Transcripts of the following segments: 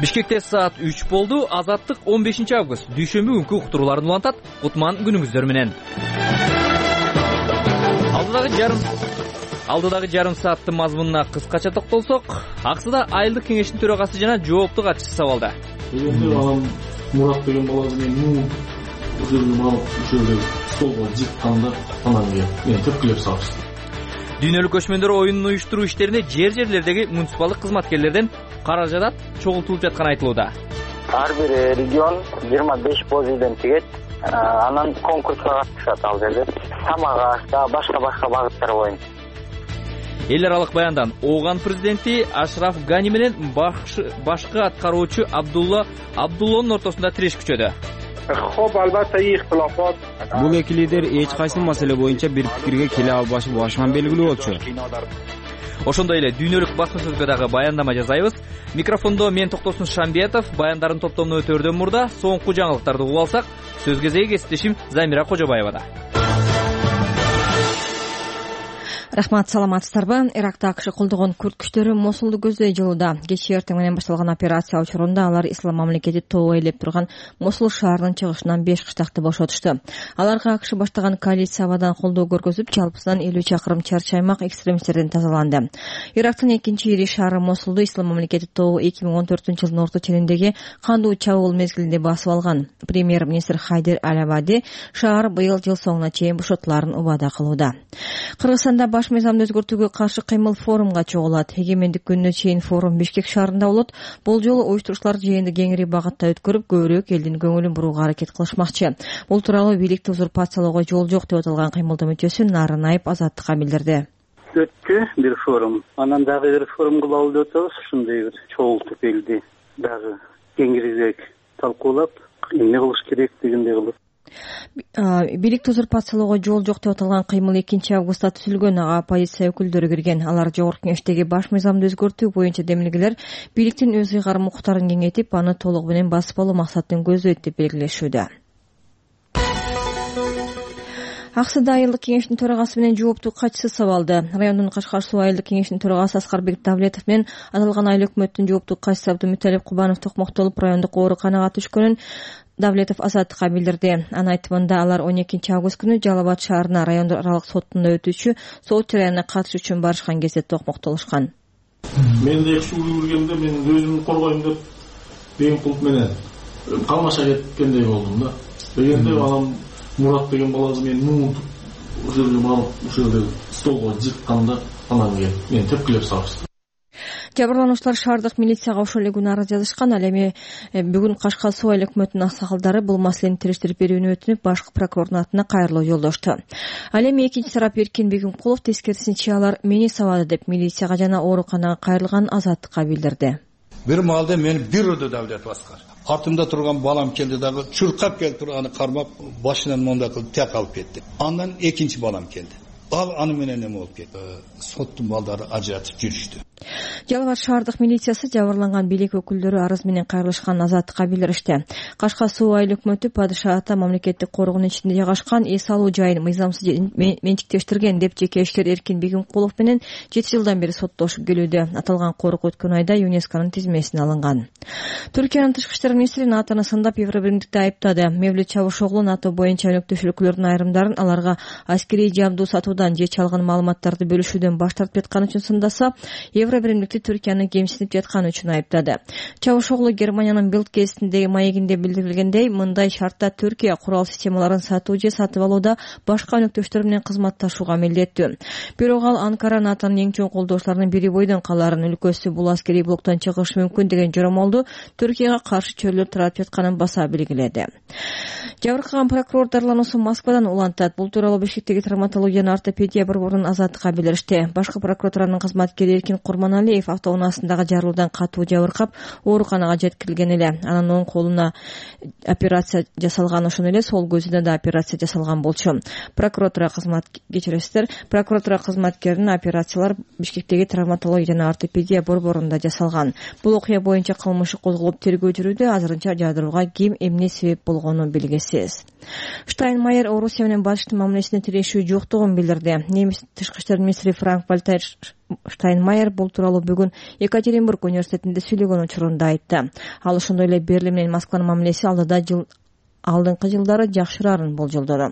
Бишкекте саат 3 болду. Азаттык 15 август дүйшөмбү күнкү уктурууларын улантат. Кутман күнүңүздөр менен. Алдыдагы жарым сааттын мазмунуна кыскача токтолсок, аксыда айылдык кеңештин төрагасы жана жоопту катчысы сабалда. Анан Мурат деген баланы мен ушул столго жытканда анан мен тепкилеп салыштым. Дүйнөлүк көчмөндөр оюнун уюштуруу иштерине жерлердеги муниципалдык кызматкерлерден каражат чогултулуп жатканы айтылууда. Ар бир регион 25 позиден тигет. Анан конкурска катышат ал жерде. Тамак аш да башка багыттар боюнча. Эл аралык баяндан Ооган президенти Ашраф Гани менен башкы аткаруучу Абдуллонун ортосунда тиреш күчөдү. Бул эки лидер эч кайсы маселе боюнча бир пикирге келе албашы башынан белгилүү болчу. Ошондой эле дүйнөлүк басма сөзгө дагы баяндама жасайбыз. Микрофондо мен Токтосун Шамбиятов, баяндардын топтомуну өтөрдөн мурда соңку жаңылыктарды угуп алсак, сөз кезеги кесиптешим Замира Кожобаевада. Рахмат, саламатсыздарбы? Иракта АКШ колдогон күрд күчтөрү Мосулду көздөй жылууда. Кечээ эртең менен башталган операция учурунда алар Ислам мамлекети тобу ээлеп турган Мосул шаарынын чыгышынан 5 кыштакты бошотушту. Аларга АКШ баштаган коалиция абадан колдоо көргөзүп, жалпысынан 50 чакырым чарчы аймак экстремисттерден тазаланды. Ирактын экинчи ири шаары Мосулду Ислам мамлекети тобу 2014-жылдын орто ченинdeги кандуу чабуул мезгилинде басып алган. Премьер-министр Хайдер Аль-Абади шаар быйыл жыл соңуна чейин бошотуларын убада кылууда. Кыргызстанда баш мыйзамды өзгөртүүгө каршы кыймыл форумга чогулат. Эгемендик күнүнө чейин форум Бишкек шаарында болот. Бул жолу уюштурушчулар жыйынды кеңири багытта өткөрүп, көбүрөөк элдин көңүлүн бурууга аракет кылышмакчы. Бул тууралуу бийликти узурпациялоого жол жок деп аталган кыймылдын мүчөсү Нарынаев Азаттыкка билдирди. Өттү бир форум. Анан дагы бир форум кылалы деп атабыз. Ушундай бир чогултуп элди дагы кеңирээк талкуулап, эмне кылыш керек дегендей кылып. Бийликти узурпациялоого жол жок деп аталган кыймыл 2 августта түзүлгөн. Ага оппозиция өкүлдөрү кирген. Алар жогорку кеңештеги баш мыйзамды өзгөртүү боюнча демилгелер бийликтин өз ыйгарым укуктарын кеңейтип, аны толугу менен басып алуу максатын көздөйт деп белгилешүүдө. Аксыда айылдык кеңештин төрагасы менен жоопту катчысы сабалды. Райондун Кашкар суу айылдык кеңештин төрагасы Аскарбек Давлетов менен аталган айыл өкмөттүн жоопту катчысы Абдумуталип Кубанов токмоктолуп райондук ооруканага түшкөнүн Давлетов Азаттыкка билдирди. Анын айтымында алар 12 август күнү Жалал Абад шаарына райондук аралык соттунда өтүүчү сот жараянына катышуу үчүн барышкан кезде токмоктолушкан. Мен де ушул көргөндө мен өзүмдү коргойм деп бейим кылып менен калмаша кеткендей болдум да. Дегенде анан Мурат деген баланы мен ушул столго жытканда анан мен тепкилеп салыштым. Жабырлануучулар шаардык милицияга ошол эле күнү арыз жазышкан. Ал эми бүгүн Кашкар суу айыл өкмөтүнүн аксакалдары бул маселени териштирип берүүнү өтүнүп, башкы прокурордун атына кайрылуу жолдошту. Ал эми экинчи тарап Эркин Бегимкулов тескерисинче алар мени сабады деп милицияга жана ооруканага кайрылган Азаттыкка билдирди. Бир маалда мен бирөөдө Давлет Аскар. Артымда турган балам келди дагы чуркап келип туруп аны кармап башынан монда кылып тек алып кетти. Андан экинчи балам келди. Ал аны менен эме болуп кетти. Соттун балдары ажыратып жүрүштү. Жалал Абад шаардык милициясы жабырланган бийлик өкүлдөрү арыз менен кайрылышкан Азаттыкка билдиришти. Кашкар суу айыл өкмөтү падыша ата мамлекеттик коргоонун ичинде жайгашкан эс алуу жайын мыйзамсыз менчиктештирген деп жеке ишкер Эркин Бегимкулов менен 7 жылдан бери соттошуп келүүдө. Аталган корк өткөн айда ЮНЕСКОнун тизмесине алынган. Түркиянын тышкы иштер министри НАТОну сындап Евробиримдикти айыптады. Мевлют Чавушоглу НАТО боюнча өнөктөшүүлүклөрдүн айрымдарын аларга аскерий жабдуу сатуудан же чалган маалыматтарды бөлүшүүдөн баш тартып жаткан үчүн сындаса, Евробиримдикти Түркияны кемсинип жаткан үчүн айыптады. Чавушоглу Германиянын Билд гезитиндеги маегинде билдирилгендей, мындай шартта Түркия курал системаларын сатуу же сатып алууда башка өнөктөштөр менен кызматташууга милдеттүү. Бирок ал Анкара НАТОнун эң чоң колдоочуларынын бири бойдон каларын, өлкөсү бул аскерий блоктон чыгышы мүмкүн деген жоромолду Түркияга каршы чөйрөлөп таратып жатканын баса белгиледи. Жабыркаган прокурор дарлануусу Москвадан улантат. Бул тууралуу Бишкектеги травматология жана ортопедия борборунун Азаттыкка билдиришти. Башкы прокуратуранын кызматкери Эркин Курманалиев автоунаасындагы жарылуудан катуу жабыркап, ооруканага жеткирилген эле. Анын оң колуна операция жасалган, ошондой эле сол көзүнө да операция жасалган болчу. Прокуратура кызматкеринин операциялар Бишкектеги травматология жана ортопедия борборунда жасалган. Бул окуя боюнча кылмыш козголуп тергөө жүрүүдө. Азырынча жардырууга ким эмне себеп болгону белгисиз. Штайнмайер Орусия менен Батыштын мамилесине тирешүү жоктугун билдирди. Немис тышкы иштер министри Франк Вальтер Штайнмайер бул тууралуу бүгүн Екатеринбург университетинде сүйлөгөн учурунда айтты. Ал ошондой эле Берлин менен Москванын мамилеси алдыңкы жылдары жакшырарын болжолдоду.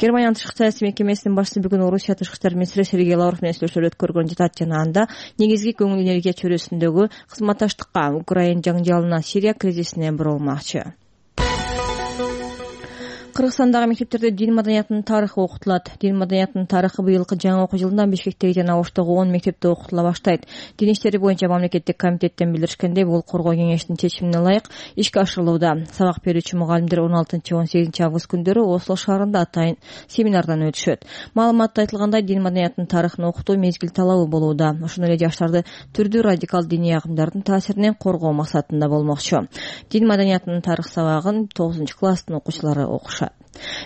Германиянын тышкы саясий мекемесинин башчысы бүгүн Орусия тышкы иштер министри Сергей Лавров менен сүйлөшүүлөр өткөргөнүн жатат жана анда негизги көңүл энергия чөйрөсүндөгү кызматташтыкка, Украина жаңжалына, Сирия кризисине бурулмакчы. Кыргызстандагы мектептерде дин маданиятынын тарыхы окутулат. Дин маданиятынын тарыхы быйылкы жаңы окуу жылында Бишкектеги жана Оштогу 10 мектепте окутула баштайт. Дин иштери боюнча мамлекеттик комитеттен билдиришкендей, бул коргоо кеңешинин чечимине ылайык ишке ашырылууда. Сабак берүүчү мугалимдер 16-18 август күндөрү Осло шаарында атайын семинардан өтүшөт. Маалыматта айтылгандай, дин маданиятынын тарыхын окутуу мезгил талабы болууда. Ошондой эле жаштарды түрдүү радикал диний агымдардын таасиринен коргоо максатында болмокчу. Дин маданиятынын тарых сабагын 9-класстын окуучулары окушат.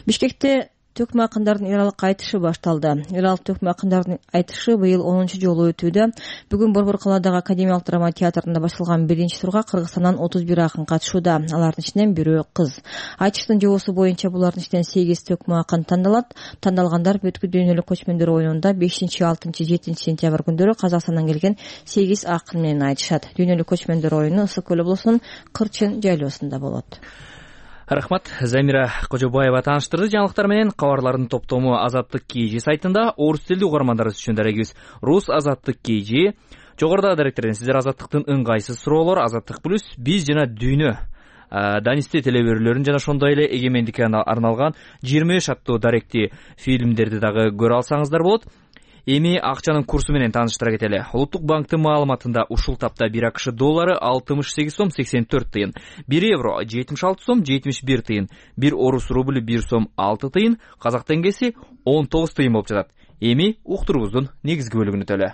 Бишкекте төкмө акындардын эралык айтышы башталды. Эралык төкмө акындардын айтышы быйыл 10-жолу өтүүдө. Бүгүн Борбор калаадагы Академиялык драма театрында башталган биринчи турга Кыргызстандан 31 акын катышууда. Алардын ичинен бирөө кыз. Айтыштын жобосу боюнча булардын ичинен 8 төкмө акын тандалат. Тандалгандар бүткүл дүйнөлүк көчмөндөр оюнунда 5, 6, 7 сентябрь күндөрү Казакстандан келген 8 акын менен айтышат. Дүйнөлүк көчмөндөр оюну Ысык көл облусунун Кырчын жайлоосунда болот. Рахмат. Замира Кожобаева тааныштырды жаңылыктар менен. Кабарлардын топтому Азаттык KG сайтында орус тилдүү угармандарыбыз үчүн дарегибиз Рус Азаттык KG. Жогорудагы даректерден сиздер Азаттыктын ыңгайсыз суроолор, Азаттык плюс, биз жана дүйнө Данисти телеберүүлөрүн жана ошондой эле эгемендикке арналган 25 аттуу даректи фильмдерди дагы көрө алсаңыздар болот. Эми акчанын курсу менен тааныштыра кетели. Улуттук банктын маалыматында ушул тапта 1 АКШ доллары 68 сом 84 тыйын, 1 евро 76 сом 71 тыйын, 1 орус рубль 1 сом 6 тыйын, казак теңгеси 19 тыйын болуп жатат. Эми уктурубуздун негизги бөлүгүнө төлө.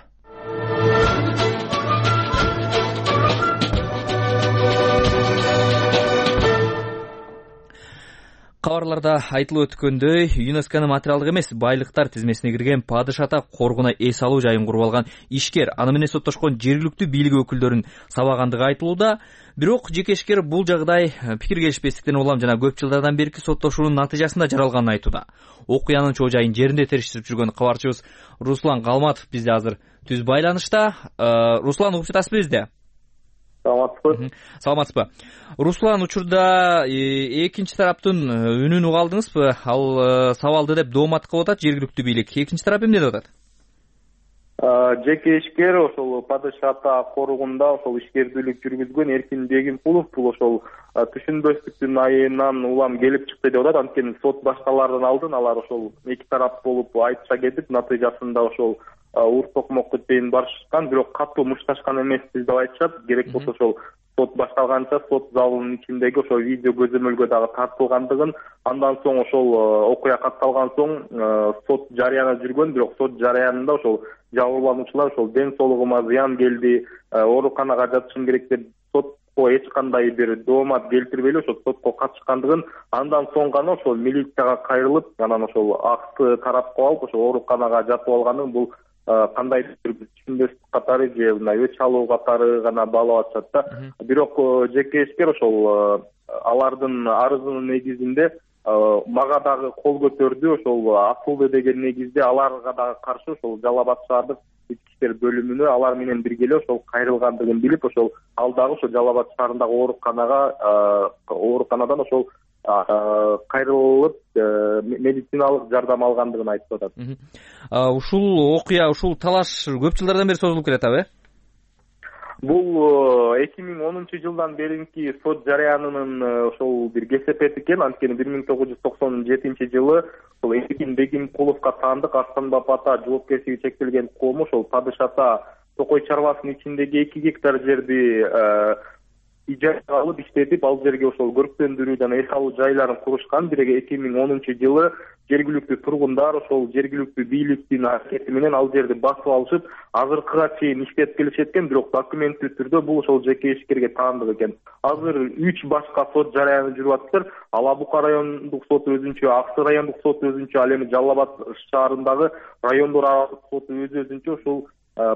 Кабарларда айтылып өткөндөй, ЮНЕСКОнун материалдык эмес байлыктар тизмесине кирген Падыш ата коргуна эс алуу жайын куруп алган ишкер, аны менен соттошкон жергиликтүү бийлик өкүлдөрүн сабагандыгы айтылууда. Бирок жеке ишкер бул жагдай пикир келишпестиктен улам жана көп жылдардан берки соттошуунун натыйжасында жаралганын айтууда. Окуянын чоо жайын жеринде териштирип жүргөн кабарчыбыз Руслан Калматов бизде азыр түз байланышта. Руслан, угуп жатасызбы бизде? Саламатсызбы? Руслан, учурда экинчи тараптын үнүн уга алдыңызбы? Ал сабалды деп доомат кылып атат жергиликтүү бийлик. Экинчи тарап эмне деп атат? Жеке ишкер ошол Падыш ата коругунда ошол ишкердүүлүк жүргүзгөн Эркин Бегимкулов бул ошол түшүнбөстүктүн айынан улам келип чыкты деп атат. Анткени сот башталардан алдын алар ошол эки тарап болуп айтышка кетип, натыйжасында ошол ур токмокко чейин барышкан, бирок катуу мушташкан эмеспиз деп айтышат. Керек болсо ошол сот башталганча сот залынын ичиндеги ошол видео көзөмөлгө дагы тартылгандыгын, андан соң ошол окуя катталган соң сот жарыянат жүргөн, бирок сот жарыянында ошол жабырлануучулар ошол ден соолугума зыян келди, ооруканага жатышым керек деп сотко эч кандай бир доомат келтирбей эле ошол сотко катышкандыгын, андан соң гана ошол милицияга кайрылып, анан ошол акты тарапка алып ошол ооруканага жатып алганын, бул кандайдыр бир түшүнбөстүк катары же мындай өч алуу катары гана баалап атышат да. Бирок жеке ишкер ошол алардын арызынын негизинде мага дагы кол көтөрдү, ошол Асылды деген негизде аларга дагы каршы ошол Жалал Абад шаардык ички иштер бөлүмүнө алар менен бирге эле ошол кайрылгандыгын билип, ошол ал дагы ошол Жалал Абад шаарындагы ооруканадан ошол кайрылып медициналык жардам алгандыгын айтып атат. Ушул окуя, ушул талаш көп жылдардан бери созулуп келатабы? Бул 2010 жылдан беринки сот жарыянынын ошол бир кесепети экен. Анткени 1997 жылы ошол Эркин Бегимкуловго таандык Арстанбап ата жоопкерчилиги чектелген кому ошол Падыш ата токой чарбасынын ичиндеги 2 гектар жерди ижарага алып иштетип, ал жерге ошол көрктөндүрүү жана эс алуу жайларын курушкан. Бирок 2010 жылы жергиликтүү тургундар ошол жергиликтүү бийликтин аракети менен ал жерди басып алышып, азыркыга чейин иштеп келишет экен, бирок документтүү түрдө бул ошол жеке ишкерге таандык экен. Азыр 3 башка сот жарыяны жүрүп атыптыр. Ала Бука райондук соту өзүнчө, Аксы райондук соту өзүнчө, ал эми Жалал Абад шаарындагы райондор аралык соту өзүнчө ошол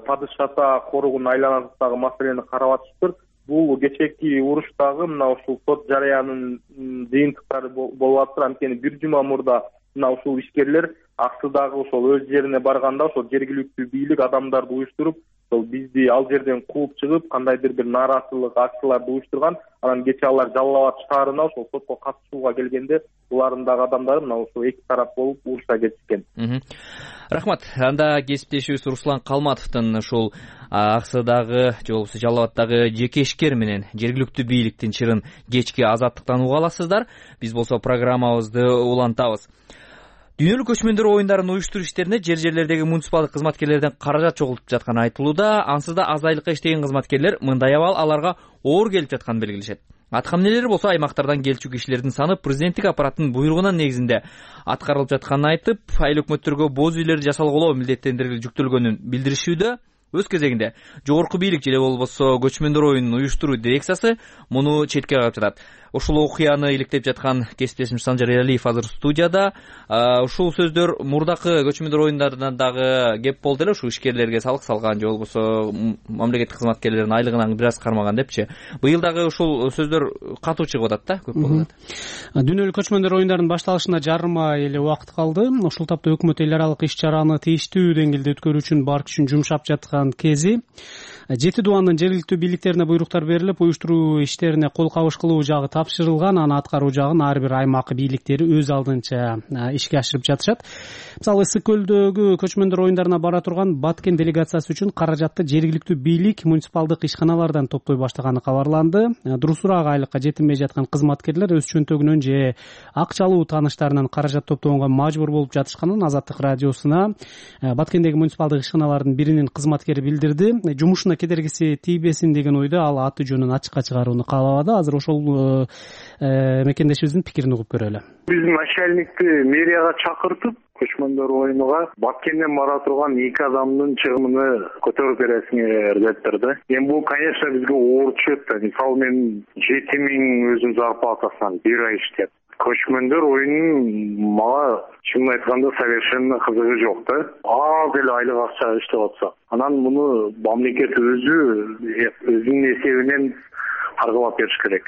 Падыш ата коругунун айланасындагы маселени карап атышыптыр. Бул кечээки уруштагы мына ушул сот жарыянын жыйынтыктары болуп атыр. Анткени бир жума мурда мына ушул ишкерлер Аксыдагы ошол өз жерине барганда ошол жергиликтүү бийлик адамдарды уюштуруп, ошол бизди ал жерден кууп чыгып кандайдыр бир нааразычылык акцияларды уюштурган. Анан кечээ алар Жалал Абад шаарына ошол сотко катышууга келгенде булардын дагы адамдары мына ошо эки тарап болуп уруша кетишкен. Рахмат. Анда кесиптешибиз Руслан Калматовдун ушул Аксыдагы же болбосо Жалал Абаддагы жеке ишкер менен жергиликтүү бийликтин чырын кечки азаттыктан уга аласыздар. Биз болсо программабызды улантабыз. Дүйнөлүк көчмөндөр оюндарын уюштуруу иштерине жерлердеги муниципалдык кызматкерлерден каражат чогултуп жатканы айтылууда. Ансыз да аз айлыкка иштеген кызматкерлер мындай абал аларга оор келип жатканын белгилешет. Атка эмнелери болсо аймактардан келчү кишилердин саны президенттик аппараттын буйругунун негизинде аткарылып жатканын айтып, айыл өкмөттөргө боз үйлөрдү жасалголоо милдеттендирилип жүктөлгөнүн билдиришүүдө. Өз кезегинде жогорку бийлик же болбосо көчмөндөр оюнун уюштуруу дирекциясы муну четке кагып жатат. Ушул окуяны иликтеп жаткан кесиптешим Санжар Эралиев азыр студияда. Ушул сөздөр мурдакы көчмөндөр оюндарынан дагы кеп болду эле, ушул ишкерлерге салык салган же болбосо мамлекеттик кызматкерлердин айлыгынан бир аз кармаган депчи. Быйыл дагы ушул сөздөр катуу чыгып атат да, көп болуп атат. Дүйнөлүк көчмөндөр оюндарынын башталышына жарым ай эле убакыт калды. Ушул тапта өкмөт эл аралык иш-чараны тийиштүү деңгээлде өткөрүү үчүн бар күчүн жумшап жаткан кези. 7 дубандын жергиликтүү бийликтерине буйруктар берилип, уюштуруу иштерине кол кабыш кылуу жагы тапшырылган, аны аткаруу жагын ар бир аймак бийликтери өз алдынча ишке ашырып жатышат. Мисалы, Ысык көлдөгү көчмөндөр оюндарына бара турган Баткен делегациясы үчүн каражатты жергиликтүү бийлик муниципалдык ишканалардан топтой баштаганы кабарланды. Дурусураак айлыкка жетинбей жаткан кызматкерлер өз чөнтөгүнөн же акчалуу тааныштарынан каражат топтогонго мажбур болуп жатышканын Азаттык радиосуна Баткендеги муниципалдык ишканалардын биринин кызматкери билдирди. Жумушуна кедергиси тийбесин деген ойдо ал аты жөнүн ачыкка чыгарууну каалабады. Азыр ошол мекендешибиздин пикирин угуп көрөлү. Биз начальникти мэрияга чакыртып, көчмөндөр оюнуга Баткенден бара турган 2 адамдын чыгымын көтөрүп бересиңер дептир да. Эми бул, конечно, бизге оор түшөт да. Мисалы, мен 7000 өзүм зарплатасынан бир ай иштеп, көчмөндөр оюнун мага чынын айтканда совершенно кызыгы жок да. Аз эле айлык акча иштеп атса, анан муну мамлекет өзүнүн эсебинен каргылап бериш керек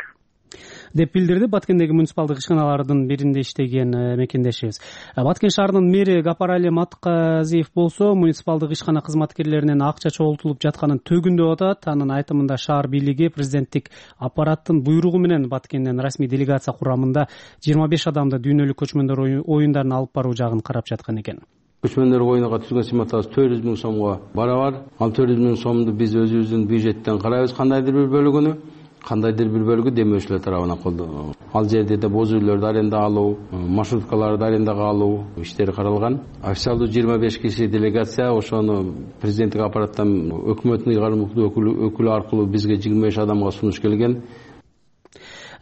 деп билдирди Баткендеги муниципалдык ишканалардын биринде иштеген мекендешибиз. Баткен шаарынын мэри Гапарали Матказиев болсо муниципалдык ишкана кызматкерлеринен акча чогултулуп жатканын төгүндөп атат. Анын айтымында шаар бийлиги президенттик аппараттын буйругу менен Баткенден расмий делегация курамында 25 адамды дүйнөлүк көчмөндөр оюндарын алып баруу жагын карап жаткан экен. Көчмөндөр оюнуга түзгөн сыматыбыз 400 000 сомго барабар. Ал 400 000 сомду биз өзүбүздүн бюджеттен карайбыз, кандайдыр бир бөлүгүнү. Кандайдыр бир бөлүгү демөөрчүлөр тарабынан колдонулат. Ал жерде да боз үйлөрдү аренда алуу, маршруткаларды арендага алуу иштери каралган. Официалдуу 25 киши делегация ошону президенттик аппараттан өкмөттүн ыйгарымдуу өкүлү аркылуу бизге 25 адамга сунуш келген.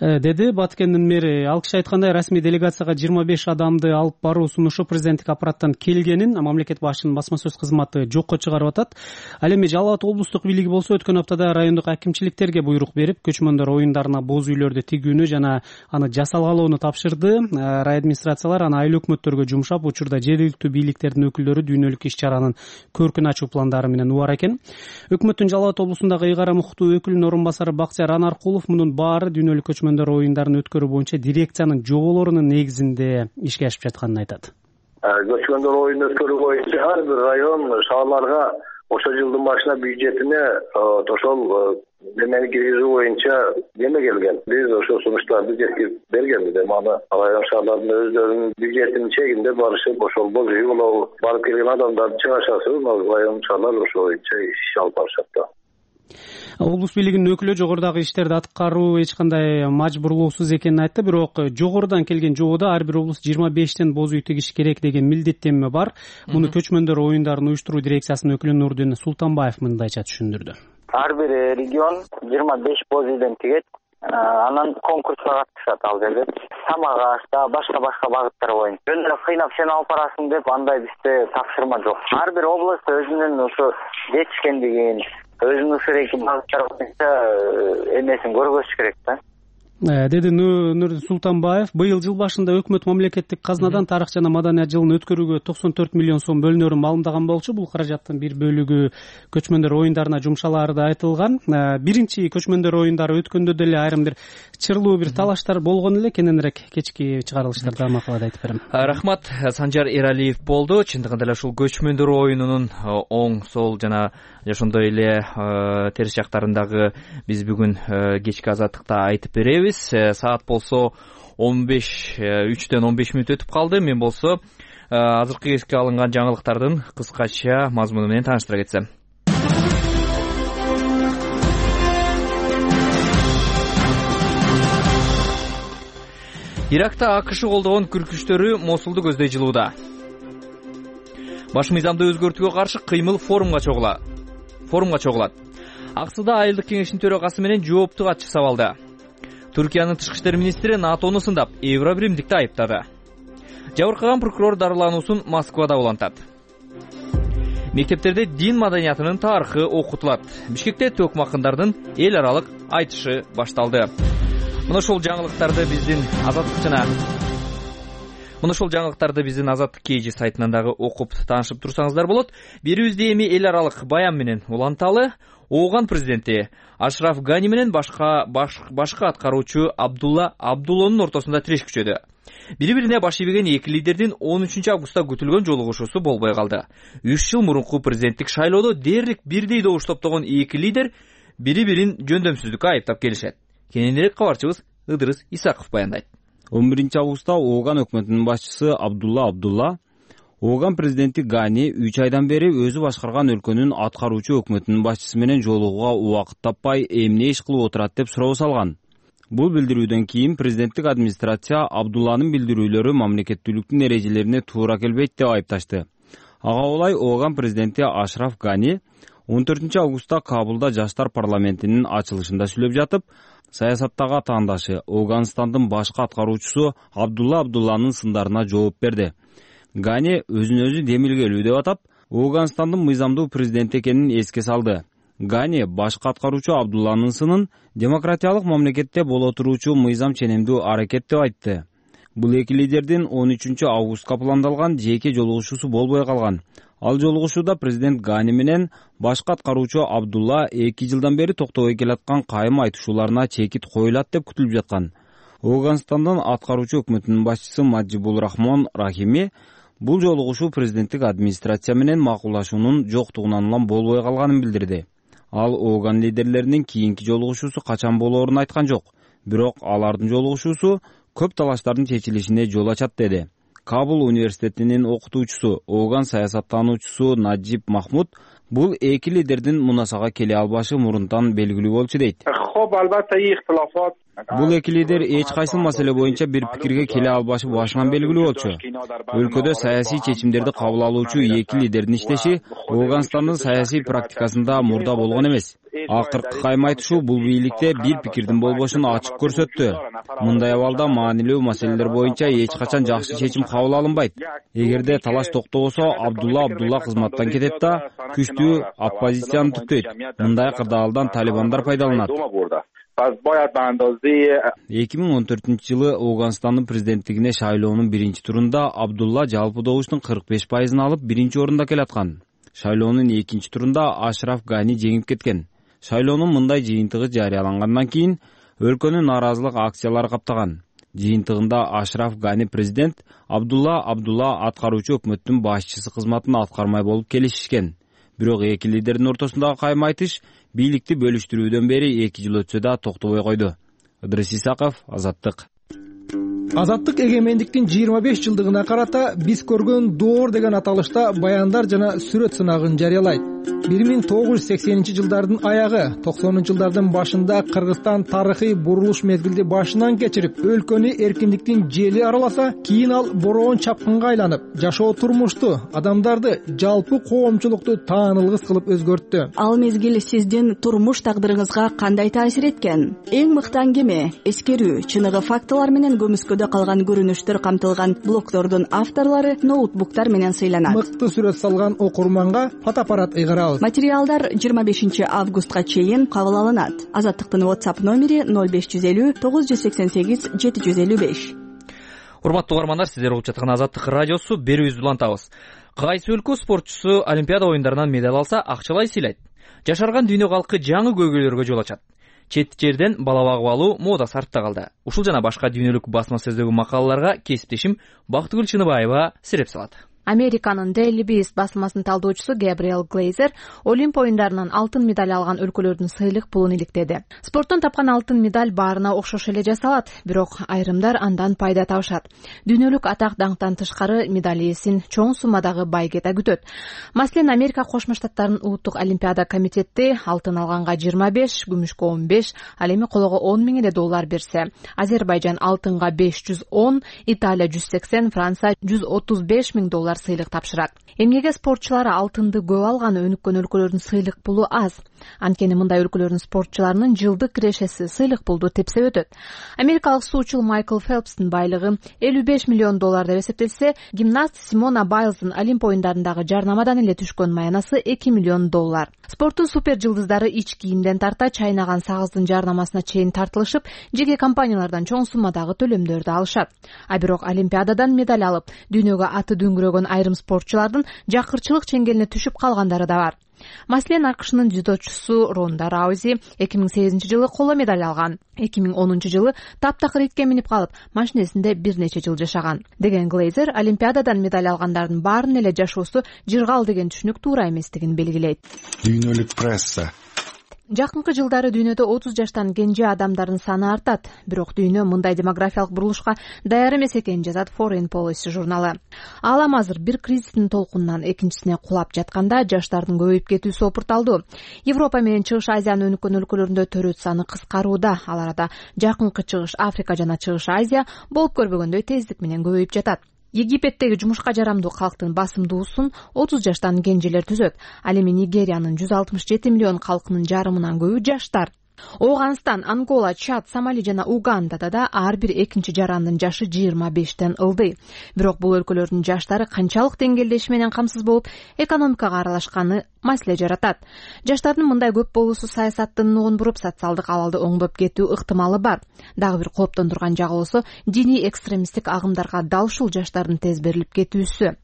Деди Баткендин мэри. Ал киши айткандай, расмий делегацияга 25 адамды алып баруу сунушу президенттик аппараттан келгенин мамлекет башчынын басма сөз кызматы жокко чыгарып атат. Ал эми Жалал Абад облустук бийлиги болсо өткөн аптада райондук акимчиликтерге буйрук берип, көчмөндөр оюндарына боз үйлөрдү тигүүнү жана аны жасалгалоону тапшырды. Райадминистрациялар аны айыл өкмөттөргө жумшап, учурда жергиликтүү бийликтердин өкүлдөрү дүйнөлүк иш-чаранын көркүн ачуу пландары менен убар экен. Өкмөттүн Жалал Абад облусундагы ыйгарым укуктуу өкүлүнүн орун басары Бактияр Анаркулов мунун баары дүйнөлүк көчмөндөр оюндарын өткөрүү боюнча дирекциянын жоболорунун негизинде ишке ашып жатканын айтат. Көчмөндөр оюнун өткөрүү боюнча ар бир район шаарларга ошол жылдын башына бюджетине ошол немени киргизүү боюнча неме келген. Биз ошол сунуштарды жеткирип бергенбиз. Аны район шаарлардын өздөрүнүн бюджетинин чегинде барышып, ошол боз үй болобу, барып келген адамдарды чыгашасы, район шаарлар ошол боюнча иш алып барышат да. Облус бийлигинин өкүлү жогорудагы иштерди аткаруу эч кандай мажбурлоосуз экенин айтты, бирок жогорудан келген жободо ар бир облус 25тен боз үй тигиш керек деген милдеттенме бар. Муну көчмөндөр оюндарын уюштуруу дирекциясынын өкүлү Нурдин Султанбаев мындайча түшүндүрдү. Ар бир регион 25 боз үйдөн тигет. Анан конкурска катышат ал жерде. Самак аш, башка багыттар боюнча. Жөн кыйнап сен алып барасың деп андай бизде тапшырма жок. Ар бир област өзүнүн ошо жетишкендигин, өзүнүн багыттар боюнча эмесин көргөзүш керек да. деди Нурдин Султанбаев. Быйыл жыл башында өкмөт мамлекеттик казнадан тарых жана маданият жылын өткөрүүгө 94 миллион сом бөлүнөрүн маалымдаган болчу. Бул каражаттын бир бөлүгү көчмөндөр оюндарына жумшалаары да айтылган. Биринчи көчмөндөр оюндары өткөндө деле айрым бир чырлуу бир талаштар болгон эле. Кененирээк кечки чыгарылыштарда макалада айтып берем. Рахмат. Санжар Эралиев болду. Чындыгында эле ушул көчмөндөр оюнунун оң, сол жана ошондой эле терс жактарындагы биз бүгүн кечки азаттыкта айтып беребиз. Саат болсо 3'тен 15 мүнөт өтүп калды. Мен болсо азыркы кезге алынган жаңылыктардын кыскача мазмуну менен тааныштыра кетсем. Иракта АКШ колдогон күркүчтөрү Мосулду көздөй жылууда. Баш мыйзамды өзгөртүүгө каршы кыймыл форумга чогулат. Аксыда айылдык кеңештин төрагасы менен жоопту катчы сабалды. Түркиянын тышкы иштер министри НАТОну сындап, Евробиримдикти айыптады. Жабыркаган прокурор дарылануусун Москвада улантат. Мектептерде дин маданиятынын тарыхы окутулат. Бишкекте төкмө акындардын эл аралык айтышы башталды. Мына ошол жаңылыктарды биздин Азаттык KG сайтынан дагы окуп таанышып турсаңыздар болот. Берүүбүздө эми эл аралык баян менен уланталы. Ооган президенти Ашраф Гани менен башкы аткаруучу Абдулла Абдуллонун ортосунда тиреш күчөдү. Бири-бирине баш ийбеген эки лидердин 13 августта күтүлгөн жолугушуусу болбой калды. 3 жыл мурунку президенттик шайлоодо дээрлик бирдей добуш топтогон эки лидер бири-бирин жөндөмсүздүккө айыптап келишет. Кененирээк кабарчыбыз Ыдырыс Исаков баяндайт. 11 августта Ооган өкмөтүнүн башчысы Абдулла Ооган президенти Гани 3 айдан бери өзү башкарган өлкөнүн аткаруучу өкмөтүнүн башчысы менен жолугууга убакыт таппай эмне иш кылып отурат деп суроо салган. Бул билдирүүдөн кийин президенттик администрация Абдулланын билдирүүлөрү мамлекеттүүлүктүн эрежелерине туура келбейт деп айыпташты. Ага улай Ооган президенти Ашраф Гани 14 августта Кабулда жаштар парламентинин ачылышында сүйлөп жатып, саясаттагы атаандашы Ооганстандын башкы аткаруучусу Абдулланын сындарына жооп берди. Гани өзүн өзү демилгелүү деп атап, Ооганстандын мыйзамдуу президенти экенин эске салды. Гани башкы аткаруучу Абдулланын сынын демократиялык мамлекетте боло туруучу мыйзам ченемдүү аракет деп айтты. Бул эки лидердин 13 августка пландалган жеке жолугушуусу болбой калган. Ал жолугушууда президент Гани менен башкы аткаруучу Абдулла 2 жылдан бери токтобой келаткан кайым айтышууларына чекит коюлат деп күтүлүп жаткан. Ооганстандын аткаруучу өкмөтүнүн башчысы Маджибул Рахмон Рахими бул жолугушуу президенттик администрация менен макулдашуунун жоктугунан улам болбой калганын билдирди. Ал Ооган лидерлеринин кийинки жолугушуусу качан болоорун айткан жок, бирок алардын жолугушуусу көп талаштардын чечилишине жол ачат деди. Кабул университетинин окутуучусу, Ооган саясаттануучусу Наджиб Махмуд бул эки лидердин мунасага келе албашы мурунтан белгилүү болчу дейт. Бул эки лидер эч кайсы маселе боюнча бир пикирге келе албашы башынан белгилүү болчу. Өлкөдө саясий чечимдерди кабыл алуучу эки лидердин иштеши Ооганстандын саясий практикасында мурда болгон эмес. Акыркы кайым айтышуу бул бийликте бир пикирдин болбошун ачык көрсөттү. Мындай абалда маанилүү маселелер боюнча эч качан жакшы чечим кабыл алынбайт. Эгерде талаш токтобосо, Абдулла кызматтан кетет да күчтүү оппозицияны түптөйт. Мындай кырдаалдан талибандар пайдаланат. 2014 жылы Ооганстандын президенттигине шайлоонун биринчи турунда Абдулла жалпы добуштун 45%ын алып биринчи орунда келаткан. Шайлоонун экинчи турунда Ашраф Гани жеңип кеткен. Шайлоонун мындай жыйынтыгы жарыялангандан кийин өлкөнүн нааразылык акциялары каптаган. Жыйынтыгында Ашраф Гани президент, Абдулла аткаруучу өкмөттүн башчысы кызматын аткармай болуп келишишкен. Бирок эки лидердин ортосундагы кайым айтыш бийликти бөлүштүрүүдөн бери 2 жыл өтсө да токтобой койду. Ыдырыс Исаков, Азаттык. Азаттык эгемендиктин 25 жылдыгына карата биз көргөн доор деген аталышта баяндар жана сүрөт сынагын жарыялайт. 1980 жылдардын аягы, 90 жылдардын башында Кыргызстан тарыхый бурулуш мезгилди башынан кечирип, өлкөнү эркиндиктин жели араласа, кийин ал бороон чапкынга айланып, жашоо турмушту, адамдарды, жалпы коомчулукту таанылгыс кылып өзгөрттү. Ал мезгил сиздин турмуш тагдырыңызга кандай таасир эткен? Эң мыкты аңгеме, эскерүү, чыныгы фактылар менен көмүскөдө калган көрүнүштөр камтылган блогдордун авторлору ноутбуктар менен сыйланат. Мыкты сүрөт салган окурманга фотоаппарат кайгарабыз. Материалдар 25 августка чейин кабыл алынат. Азаттыктын WhatsApp номери 0550 988 755. Урматтуу угармандар, сиздер угуп жаткан Азаттык радиосу. Берүүбүздү улантабыз. Кайсы өлкө спортчусу Олимпиада оюндарынан медаль алса, акчалай сыйлайт. Жашарган дүйнө калкы жаңы көйгөйлөргө жол ачат. Чет жерден бала багып алуу модасы артта калды. Ушул жана башка дүйнөлүк басма сөздөгү макалаларга кесиптешим Бактыгүл Чыныбаева сиреп салат. Американын Daily Beast басмасынын талдоочусу Габриэл Глейзер Олимп оюндарынан алтын медаль алган өлкөлөрдүн сыйлык пулун иликтеди. Спорттон тапкан алтын медаль баарына окшош эле жасалат, бирок айрымдар андан пайда табышат. Дүйнөлүк атак даңктан тышкары медаль ээсин чоң суммадагы байгета күтөт. Маселен, Америка Кошмо Штаттарынын улуттук олимпиада комитети алтын алганга 25, күмүшкө 15, ал эми колого 10 000 эле доллар берсе, Азербайжан алтынга 510, Италия 180, Франция 135 000 доллар сыйлык тапшырат. Эмгеге спортчулары алтынды көп алган өнүккөн өлкөлөрдүн сыйлык пулу аз. Анткени мындай өлкөлөрдүн спортчуларынын жылдык кирешеси сыйлык пулду тепсеп өтөт. Америкалык суучул Майкл Фелпстин байлыгы 55 миллион доллар деп эсептелсе, гимнаст Симона Байлздын Олимп оюндарындагы жарнамадан эле түшкөн маянасы 2 миллион доллар. Спорттун супер жылдыздары ич кийимден тарта чайнаган сагыздын жарнамасына чейин тартылышып, жеке компаниялардан чоң суммадагы төлөмдөрдү алышат. А бирок Олимпиададан медаль алып, дүйнөгө аты дөңгөрөгөн айрым спортчулардын жакырчылык чеңгелине түшүп калгандары да бар. Маселен, АКШнын дзюдочусу Ронда Раузи 2008 жылы коло медаль алган. 2010 жылы таптакыр итке минип калып, машинесинде бир нече жыл жашаган. Деген Глейзер, Олимпиададан медаль алгандардын баарынын эле жашоосу жыргал деген түшүнүк туура эместигин белгилейт. Дүйнөлүк пресса. Жакынкы жылдары дүйнөдө 30 жаштан кенже адамдардын саны артат, бирок дүйнө мындай демографиялык бурулушка даяр эмес экенин жазат Foreign Policy журналы. Алам азыр бир кризистин толкунунан экинчисине кулап жатканда жаштардын көбөйүп кетүүсү опурталдуу. Европа менен Чыгыш Азиянын өнүккөн өлкөлөрүндө төрөт саны кыскарууда. Ал арада жакынкы Чыгыш Африка жана Чыгыш Азия болуп көрбөгөндөй тездик менен көбөйүп жатат. Египеттеги жумушка жарамдуу калктын басымдуусун 30 жаштан кенжелер түзөт. Ал эми Нигериянын 167 миллион калкынын жарымынан көбү жаштар. Оганстан, Ангола, Чад, Сомали жана Угандада да ар бир экинчи жарандын жашы 25тен ылдый. Бирок бул өлкөлөрдүн жаштары канчалык деңгээлдеши менен камсыз болуп, экономикага аралашканы маселе жаратат. Жаштардын мындай көп болуусу саясаттын нугун буруп, социалдык абалды оңдоп кетүү ыктымалы бар. Дагы бир кооптондурган жагы болсо, диний экстремисттик агымдарга дал ушул жаштардын тез берилип кетүүсү.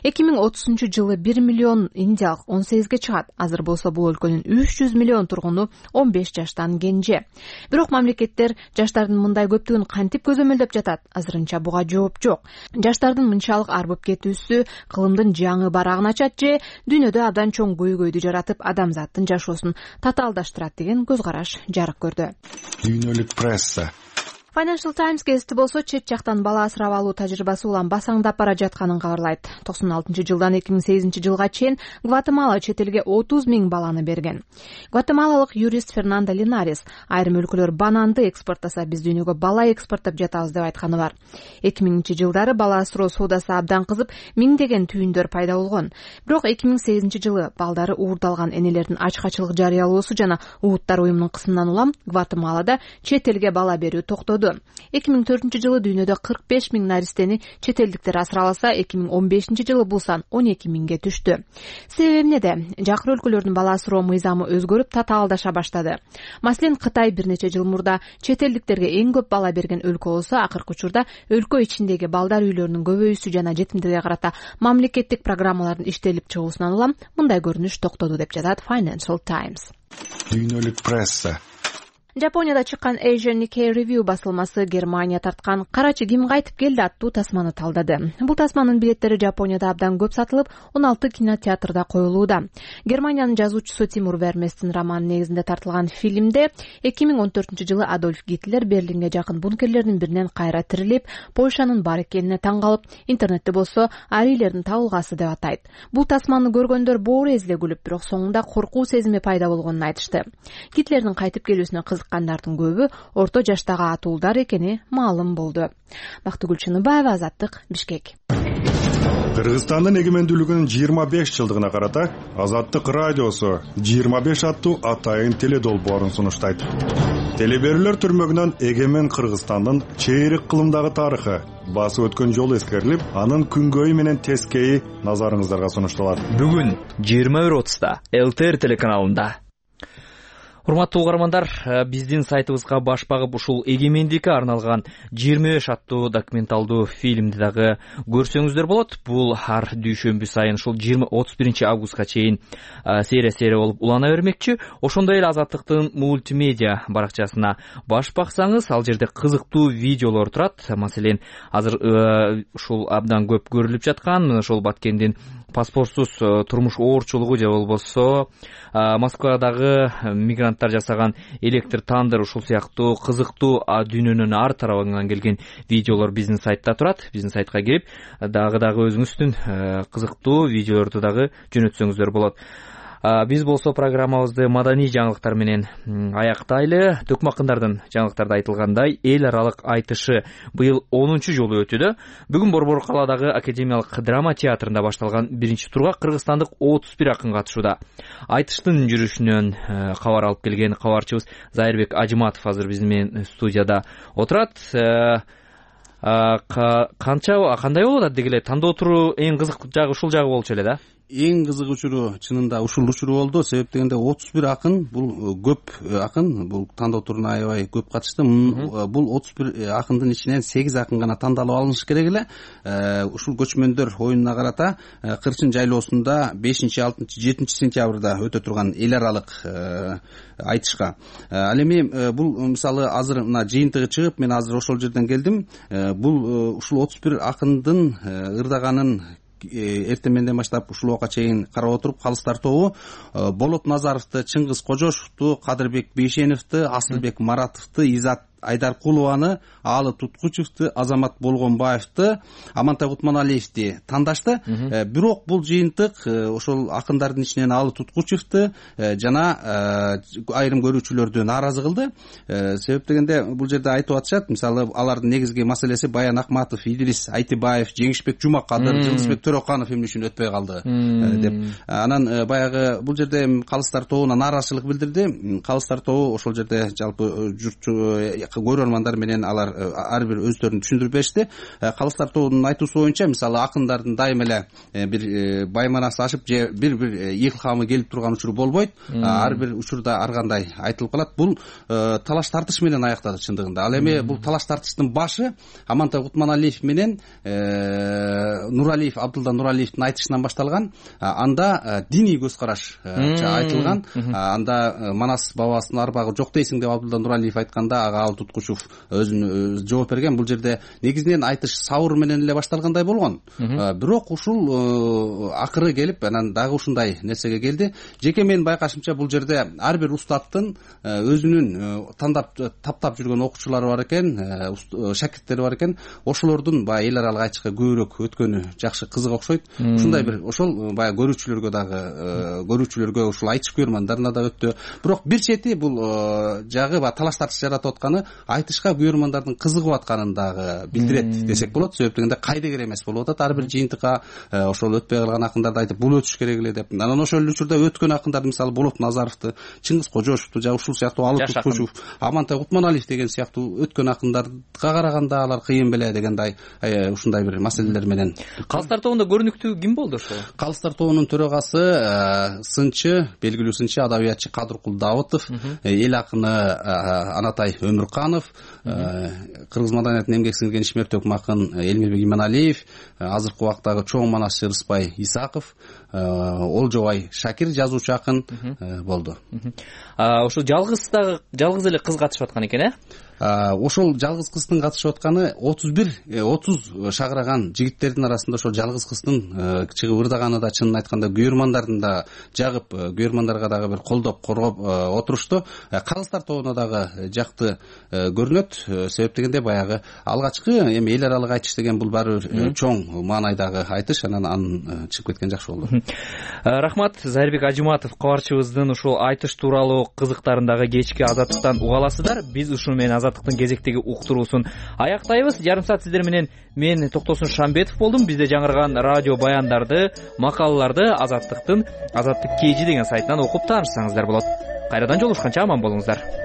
2030 жылы 1 миллион индиялык 18ге чыгат. Азыр болсо бул өлкөнүн 300 миллион тургуну 15 жаштан кенже. Бирок мамлекеттер жаштардын мындай көптүгүн кантип көзөмөлдөп жатат? Азырынча буга жооп жок. Жаштардын мынчалык арбып кетүүсү кылымдын жаңы барагын ачат же дүйнөдө абдан чоң көйгөйдү жаратып, адамзаттын жашоосун татаалдаштырат деген көз караш жарык көрдү. Дүйнөлүк пресса. Financial Times газети болсо чет жактан бала асырап алуу тажрыйбасы улам басаңдап бара жатканын кабарлайт. 96 жылдан 2008 жылга чейин Гватемала чет элге 30 000 баланы берген. Гватемалалык юрист Фернандо Линарес айрым өлкөлөр бананды экспорттаса, биз дүйнөгө бала экспорттоп жатабыз деп айтканы бар. 2000 жылдары бала асыроо соодасы абдан кызып, миңдеген түйүндөр пайда болгон. Бирок 2008 жылы балдары уурдалган энелердин ачкачылык жарыялоосу жана Улуттар уюмунун кысымынан улам Гватемалада чет элге бала берүү токтоду. 2004 жылы дүйнөдө 45 000 наристени чет элдиктер асырап алса, 2015 жылы бул сан 12 000ге түштү. Себеби эмнеде? Жакыр өлкөлөрдүн бала асыроо мыйзамы өзгөрүп, татаалдаша баштады. Маселен, Кытай бир нече жыл мурда чет элдиктерге эң көп бала берген өлкө болсо, акыркы учурда өлкө ичиндеги балдар үйлөрүнүн көбөйүүсү жана жетимдерге карата мамлекеттик программалардын иштелип чыгуусунан улам мындай көрүнүш токтоду деп жазат Financial Times. Дүйнөлүк пресса. Жапонияда чыккан Asian Nikkei Review басылмасы Германия тарткан «Карачы ким кайтып келди» аттуу тасманы талдады. Бул тасманын билеттери Жапонияда абдан көп сатылып, 16 кинотеатрда коюлууда. Германиянын жазуучусу Тимур Верместин романы негизинде тартылган фильмде 2014 жылы Адольф Гитлер Берлинге жакын бункерлердин биринен кайра тирилип, Польшанын бар экенине таң калып, интернетте болсо арийлердин табылгасы деп атайт. Бул тасманы көргөндөр боору эзиле күлүп, бирок соңунда коркуу сезими пайда болгонун айтышты. Гитлердин кайтып келүүсүнө кандардын көбү орто жаштагы атуулдар экени маалым болду. Бактыгүл Чыныбаева, Азаттык, Бишкек. Кыргызстандын эгемендүүлүгүнүн 25 жылдыгына карата Азаттык радиосу 25 аттуу атайын теледолбоорун сунуштайт. Телеберүүлөр түрмөгүнөн эгемен Кыргызстандын чейрек кылымдагы тарыхы, басып өткөн жол эскерилип, анын күнгөйү менен тескейи назарыңыздарга сунушталат. Бүгүн 21:30 ЛТР телеканалында. Урматтуу угармандар, биздин сайтыбызга баш багып ушул эгемендикке арналган 25 аттуу документалдуу фильмди дагы көрсөңүздөр болот. Бул ар дүйшөмбү сайын ушул 31 августка чейин серия болуп улана бермекчи. Ошондой эле Азаттыктын мультимедиа баракчасына баш баксаңыз, ал жерде кызыктуу видеолор турат. Маселен, азыр ушул абдан көп көрүлүп жаткан ошол Баткендин паспортсуз турмуш оорчулугу же болбосо Москвадагы мигранттар жасаган электр тандыр, ушул сыяктуу кызыктуу дүйнөнүн ар тарабынан келген видеолор биздин сайтта турат. Биздин сайтка кирип дагы өзүңүздүн кызыктуу видеолорду дагы жөнөтсөңүздөр болот. Биз болсо программабызды маданий жаңылыктар менен аяктайлы. Төкмакындардын жаңылыктарда айтылгандай, эл аралык айтышы быйыл 10-чу жолу өтүүдө. Бүгүн Борбор калаадагы Академиялык драма театрында башталган биринчи турга кыргызстандык 31 акын катышууда. Айтыштын жүрүшүнөн кабар алып келген кабарчыбыз Зайырбек Ажыматов азыр биз менен студияда отурат. Кандай болот адеги эле? Тандоо туру эң кызык жагы ушул жагы болчу эле да. Эң кызык учуру чынында ушул учуру болду. Себеп дегенде 31 акын, бул көп акын, бул тандоо туруна аябай көп катышты. Бул 31 акындын ичинен 8 акын гана тандалып алыныш керек эле. Ушул көчмөндөр оюнуна карата Кырчын жайлоосунда 5-6-7 сентябрда өтө турган эл аралык айтышка. Ал эми бул мисалы азыр мына жыйынтыгы чыгып, мен азыр ошол жерден келдим. Бул ушул 31 акындын ырдаганын эртең менден баштап ушул убакка чейин карап отуруп, калыстар тобу Болот Назаровду, Чыңгыз Кожошовду, Кадырбек Бейшеновду, Асылбек Маратовду, Изат Айдаркулованы, Аалы Туткучевду, Азамат Болгонбаевду, Амантай Кутманалиевди тандашты. Бирок бул жыйынтык ошол акындардын ичинен Аалы Туткучевду жана айрым көрүүчүлөрдү нааразы кылды. Себеп дегенде бул жерде айтып атышат, мисалы алардын негизги маселеси Баян Акматов, Идрис Айтыбаев, Жеңишбек Жумакадыр, Жылдызбек Төрөканов эмне үчүн өтпөй калды деп. Анан баягы бул жерде калыстар тобуна нааразычылык билдирди. Калыстар тобу ошол жерде жалпы журтчу көрөрмандар менен алар ар бир өздөрүн түшүндүрүп беришти. Калыстар тобунун айтуусу боюнча, мисалы акындардын дайым эле бир байманасы ашып же бир илхамы келип турган учуру болбойт. Ар бир учурда ар кандай айтылып калат. Бул талаш тартыш менен аяктады чындыгында. Ал эми бул талаш тартыштын башы Амантай Кутманалиев менен Нуралиев, Абдулда Нуралиевдин айтышынан башталган. Анда диний көз караш айтылган. Анда Манас бабасынын арбагы жок дейсиң деп Абдулда Нуралиев айтканда, ага Туткучев өзүнүн жооп берген. Бул жерде негизинен айтыш сабыр менен эле башталгандай болгон. Бирок ушул акыры келип, анан дагы ушундай нерсеге келди. Жеке менин байкашымча бул жерде ар бир устаттын өзүнүн тандап таптап жүргөн окуучулары бар экен, шакирттери бар экен. Ошолордун баягы эл аралык айтышка көбүрөөк өткөнү жакшы, кызык окшойт. Ушундай бир ошол баягы көрүүчүлөргө ушул айтыш көрөрмандарына да өттү. Бирок бир чети бул жагы талаш тартыш жаратып атканы айтышка көрөрмандардын кызыгып атканын дагы билдирет десек болот. Себеп дегенде кайдыгер эмес болуп атат. Ар бир жыйынтыкка ошол өтпөй калган акындарды айтып, бул өтүш керек эле деп. Анан ошол эле учурда өткөн акындар, мисалы Болот Назаровду, Чыңгыз Кожошовду, жана ушул сыяктуу Аалы Туткучев, Амантай Кутманалиев деген сыяктуу өткөн акындарга караганда алар кыйын беле дегендей ушундай бир маселелер менен. Калыстар тобунда көрүнүктүү ким болду ошо? Калыстар тобунун төрагасы сынчы, белгилүү сынчы адабиятчы Кадыркул Давытов, эл акыны Анатай Өмүрканов, кыргыз маданиятынын эмгек сиңирген ишмер төкмакын Элмирбек Иманалиев, азыркы убактагы чоң манасчы Рыспай Исаков, Олжобай Шакир жазуучу акын болду. Ошо жалгыз эле кыз катышып аткан экен, Ошол жалгыз кыздын катышып атканы 30 шагыраган жигиттердин арасында ошол жалгыз кыздын чыгып ырдаганы да чынын айтканда көрөрмандардын да жагып, көрөрмандарга дагы бир колдоп коргоп отурушту. Кыргыздар тобуна дагы жакты көрүнөт. Себеп дегенде баягы алгачкы эми эл аралык айтыш деген бул баары бир чоң маанайдагы айтыш, анан чыгып кеткен жакшы болду. Рахмат. Зайырбек Ажыматов кабарчыбыздын ушул айтыш тууралуу кызыктарындагы кечки Азаттыктан уга аласыздар. Биз ушуну менен Азаттыктын кезектеги уктуруусун аяктайбыз. Жарым саат сиздер менен мен Токтосун Шамбетов болдум. Бизде жаңырган радио баяндарды, макалаларды Азаттык KG деген сайтынан окуп таанышсаңыздар болот. Кайрадан жолугушканча аман болуңуздар.